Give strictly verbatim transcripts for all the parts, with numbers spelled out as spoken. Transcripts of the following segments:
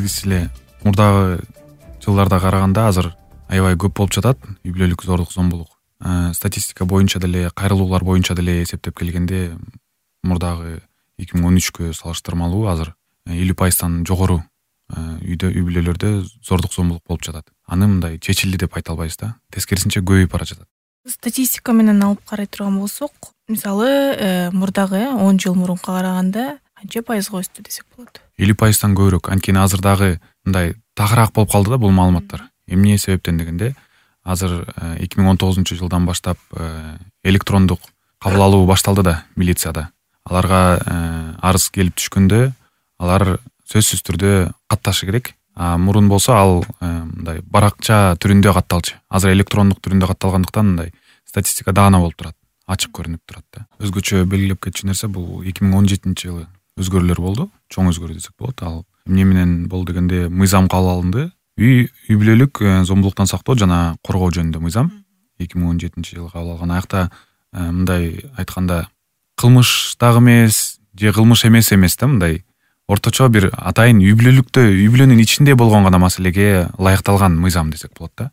билгисиз эле мурдагы жылдарда караганда азыр аябай көп болуп жатат үй бүлөлүк зордук зомбулук. Статистика боюнча деле, кайрылуулар боюнча деле эсептеп келгенде мурдагы эки миң он үчкө салыштырмалуу азыр элүү пайыздан жогору үйдө үй бүлөлөрдө зордук зомбулук болуп жатат. Аны мындай чечилди деп айта албайбыз да. Тескерисинче көбөйүп бара жатат. Статистика менен алып карай турган болсок, мисалы мурдагы он жыл мурунка караганда канча пайызга өстү десек болот? элүү пайыздан көбүрөөк. Анткени азыр дагы мындай тагыраак болуп калды да бул маалыматтар. Эмне себептен дегенде, азыр эки миң он тогузунчу жылдан баштап электрондук кабыл алуу башталды да милицияда. Аларга арыз келип түшкөндө алар сөзсүз түрдө катташы керек. А мурун болсо ал мындай баракча түрүндө катталчу. Азыр электрондук түрүндө катталгандыктан мындай статистика даана болуп турат, ачык көрүнүп турат да. Өзгөчө белгилеп кетчү нерсе бул эки миң он жетинчи жылы өзгөрүүлөр болду. Чоң өзгөрүү десек болот. Ал эмне менен болду дегенде, мыйзам кабыл алынды. Үй үй бүлөлүк зомбулуктан сактоо жана коргоо жөнүндө мыйзам эки миң он жетинчи жылы кабыл алган. Аякта мындай айтканда кылмыш дагы эмес, же кылмыш эмес эмес да, мындай орточо бир атайын үй бүлөлүктө, үй бүлөнүн ичинде болгон гана маселеге ылайыкталган мыйзам десек болот да.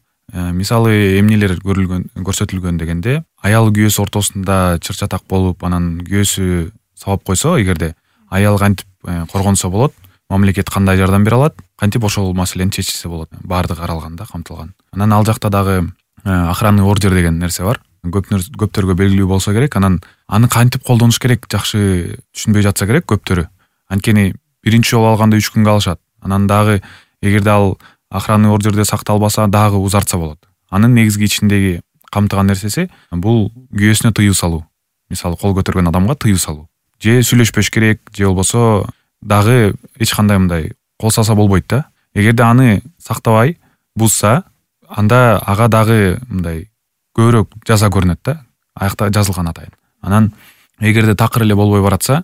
Мисалы эмнелер көрүлгөн, көрсөтүлгөн дегенде, аял күйөөсү ортосунда чыр-чатак болуп, анан күйөөсү сабап койсо, эгерде аял кантип коргонсо болот, мамлекет кандай жардам бере алат, кантип ошол маселени чечилсе болот. Баардыгы каралган да, камтылган. Анан ал жакта дагы охранный ордер деген нерсе бар. Көптөргө белгилүү болсо керек. Анан аны кантип колдонуш керек жакшы түшүнбөй жатса керек көптөрү. Анткени биринчи жолу алганда үч күнгө алышат. Анан дагы эгерде ал охранный ордерде сакталбаса, дагы узартса болот. Анын негизги ичиндеги камтыган нерсеси бул күйөөсүнө тыюу салуу. Мисалы кол көтөргөн адамга тыюу салуу. Же сүйлөшпөш керек, же болбосо дагы эч кандай мындай кол салса болбойт да. Эгерде аны сактабай бузса, анда ага дагы мындай көбүрөөк жаза көрүнөт да. Аякта жазылган атайын. Анан эгерде такыр эле болбой баратса,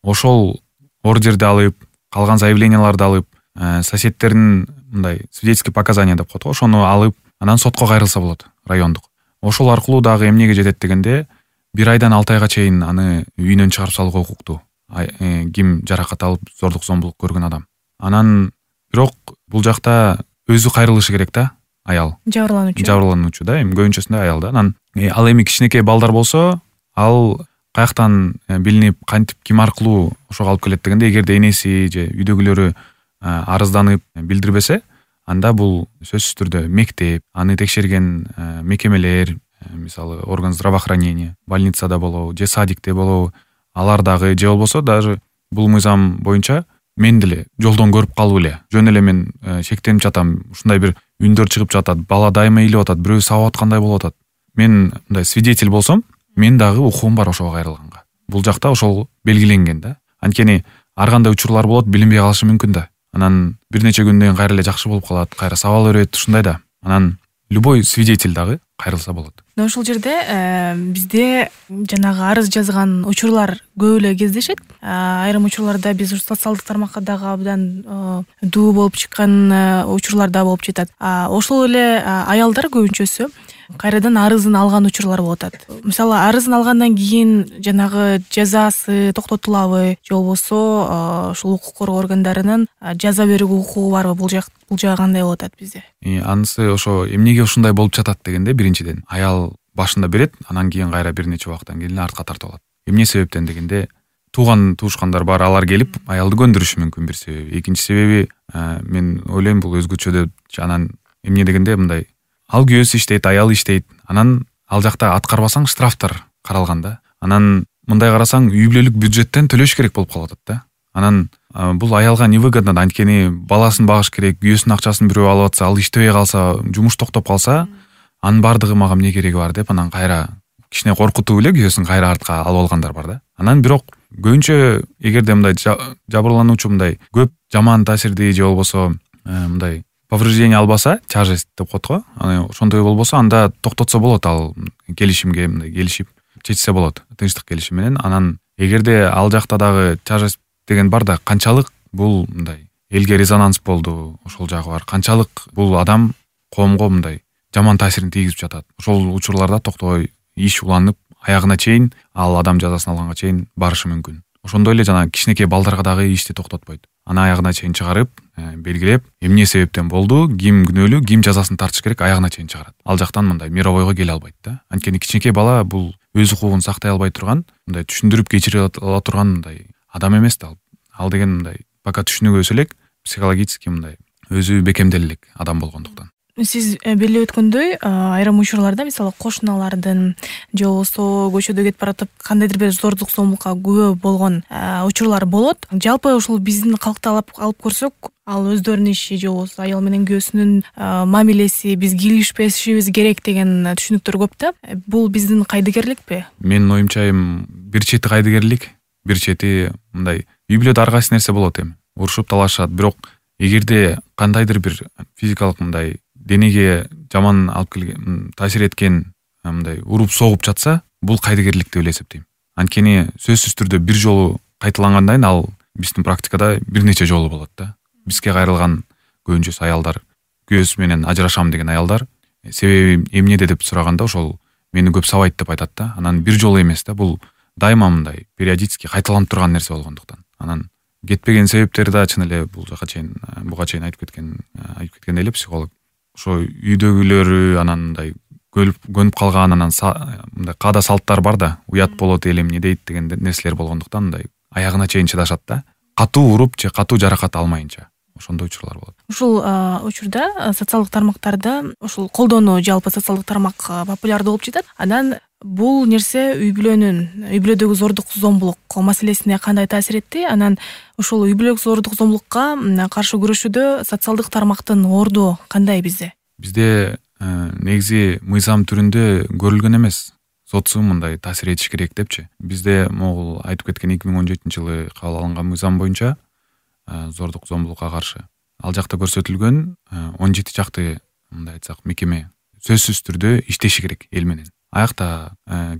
ошол ордерди алып, калган заявленияларды алып, соседтердин мындай свидетельский показания деп коет го, ошону алып, анан сотко кайрылса болот, райондук. Ошол аркылуу дагы эмнеге жетет дегенде, бир айдан алты айга чейин аны үйүнөн чыгарып салууга укуктуу. Ким жаракат алып, зордук зомбулук көргөн адам. Анан бирок бул жакта өзү кайрылышы керек да, аял. Жабырлануучу. Жабырлануучу да, эми көбүнчөсүндө аял да. Анан ал эми кичинекей балдар болсо, ал каяктан билинип, кантип, ким аркылуу ошого алып келет дегенде, эгерде энеси же үйдөгүлөрү арызданып билдирбесе, анда бул сөзсүз түрдө мектеп, аны текшерген мекемелер, мисалы орган здравоохранения, больницада болобу, же садикте болобу, алар дагы, же болбосо даже бул мыйзам боюнча мен деле жолдон көрүп калып эле, жөн эле мен шектенип жатам, ушундай бир үндөр чыгып жатат, бала дайыма ыйлап атат, бирөө сабап аткандай болуп атат. Мен мындай свидетель болсом, мен дагы укугум бар ошого кайрылганга. Бул жакта ошол белгиленген да. Анткени ар кандай учурлар болот, билинбей калышы мүмкүн да. Анан бир нече күндөн кийин кайра эле жакшы болуп калат, кайра саба берет, ушундай да. Анан любой свидетель дагы кайрылса болот. Мына ушул жерде бизде жанагы арыз жазган учурлар көп эле кездешет. Айрым учурларда биз социалдык тармакка дагы абдан дуу болуп чыккан учурлар да болуп жатат. Ошол эле аялдар көбүнчөсү кайрадан арызын алган учурлар болуп атат. Мисалы арызын алгандан кийин жанагы жазасы токтотулабы, же болбосо ушул укук коргоо органдарынын жаза берүүгө укугу барбы? Бул жак бул жагы кандай болуп атат бизде? Анысы ошо эмнеге ушундай болуп жатат дегенде, биринчиден аял башында берет, анан кийин кайра бир нече убакыттан кийин артка тартып алат. Эмне себептен дегенде, тууган туушкандар бар, алар келип аялды көндүрүшү мүмкүн бир себеби. Экинчи себеби мен ойлойм бул өзгөчө деп, анан эмне дегенде мындай, ал күйөөсү иштейт, аял иштейт, анан ал жакта аткарбасаң штрафтар каралган да. Анан мындай карасаң үй бүлөлүк бюджеттен төлөш керек болуп калып атат да. Анан бул аялга невыгодно, анткени баласын багыш керек, күйөөсүнүн акчасын бирөө алып атса, ал иштебей калса, жумуш токтоп калса, анын баардыгы мага эмне кереги бар деп, анан кайра кичине коркутуп эле күйөөсүн кайра артка алып алгандар бар да. Анан бирок көбүнчө эгерде мындай жабырлануучу мындай көп жаман таасирди же болбосо мындай повреждение албаса, тяжесть деп коет го, аны ошондой болбосо, анда токтотсо болот, ал келишимге мындай келишип чечсе болот, тынчтык келишим менен. Анан эгерде ал жакта дагы тяжесть деген бар да, канчалык бул мындай элге резонанс болду, ошол жагы бар. Канчалык бул адам коомго мындай жаман таасирин тийгизип жатат. Ошол учурларда токтобой иш уланып, аягына чейин, ал адам жазасын алганга чейин барышы мүмкүн. Ошондой эле жана кичинекей балдарга дагы ишти токтотпойт. аны аягына чейин чыгарып белгилеп эмне себептен болду, ким күнөөлүү, ким жазасын тартыш керек, аягына чейин чыгарат. Ал жактан мындай мировойго келе албайт да. Анткени кичинекей бала бул өз укугун сактай албай турган, мындай түшүндүрүп кечире ала турган мындай адам эмес да. Ал деген мындай пока түшүнүгөбөсө элек психологически мындай өзү бекемделе элек адам болгондуктан. Сиз белип өткөндөй, айрым учурларда мисалы кошуналардын же болбосо көчөдө кетип баратып кандайдыр бир зордук зомбулукка күбө болгон учурлар болот. Жалпы ушул биздин калкты алып алып көрсөк, ал өздөрүнүн иши же болбосо аял менен күйөөсүнүн мамилеси, биз кийлигишпешибиз керек деген түшүнүктөр көп да. Бул биздин кайдыгерликпи? Менин оюмча эми бир чети кайдыгерлик, бир чети мындай үй бүлөдө ар кайсы нерсе болот эми. Урушуп талашат, бирок эгерде кандайдыр бир физикалык мындай денеге жаман алып келген, таасир эткен мындай уруп согуп жатса, бул кайдыгерлик деп эле эсептейм. Анткени сөзсүз түрдө бир жолу кайталангандан кийин ал биздин практикада бир нече жолу болот да. Бизге кайрылган көбүнчөсү аялдар, күйөөсү менен ажырашам деген аялдар себеби эмнеде деп сураганда ошол мени көп сабайт деп айтат да. Анан бир жолу эмес да, бул дайыма мындай периодически кайталанып турган нерсе болгондуктан. Анан кетпеген себептери да чын эле бул жака чейин буга чейин айтып кеткен айтып кеткен эле психолог. Ошо үйдөгүлөрү анан мындай көнүп калган, анан мындай каада салттар бар да, уят болот эле эмне дейт деген нерселер болгондуктан мындай аягына чейин чыдашат да. Катуу уруп же катуу жаракат алмайынча. Ошондой учурлар болот. Ушул учурда социалдык тармактарда ушул колдонуу жалпы социалдык тармак популярдуу болуп жатат. Анан бул нерсе үй бүлөнүн, үй бүлөдөгү зордук зомбулук маселесине кандай таасир этти? Анан ушул үй бүлөлүк зордук зомбулукка каршы күрөшүүдө социалдык тармактын орду кандай бизде? Бизде негизи мыйзам түрүндө көрүлгөн эмес. Социум мындай таасир этиш керек депчи. Бизде могул айтып кеткен эки миң он жетинчи жылы кабыл алынган мыйзам боюнча зордук зомбулукка каршы ал жакта көрсөтүлгөн он жети жакты мындай айтсак мекеме сөзсүз түрдө иштеши керек эл менен. Аякта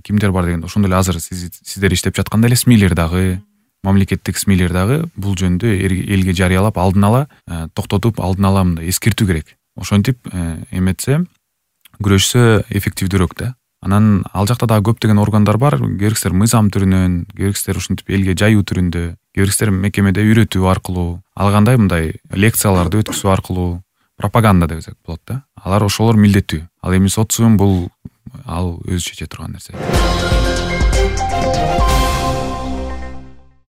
кимдер бар дегенде ошондой эле азыр сиздер иштеп жаткандай эле СМИлер дагы, мамлекеттик СМИлер дагы бул жөнүндө элге жарыялап алдын ала токтотуп, алдын ала мындай эскертүү керек. Ошентип эметсе, күрөшсө эффективдүүрөөк да. Анан ал жакта дагы көптөгөн органдар бар, керексиздер мыйзам түрүнөн, керексиздер ушинтип элге жайуу түрүндө, керексиздер мекемеде үйрөтүү аркылуу, ал кандай мындай лекцияларды өткөзүү аркылуу пропаганда десек болот да. Алар ошолор милдеттүү. Ал эми социум бул ал өзү чече турган нерсе.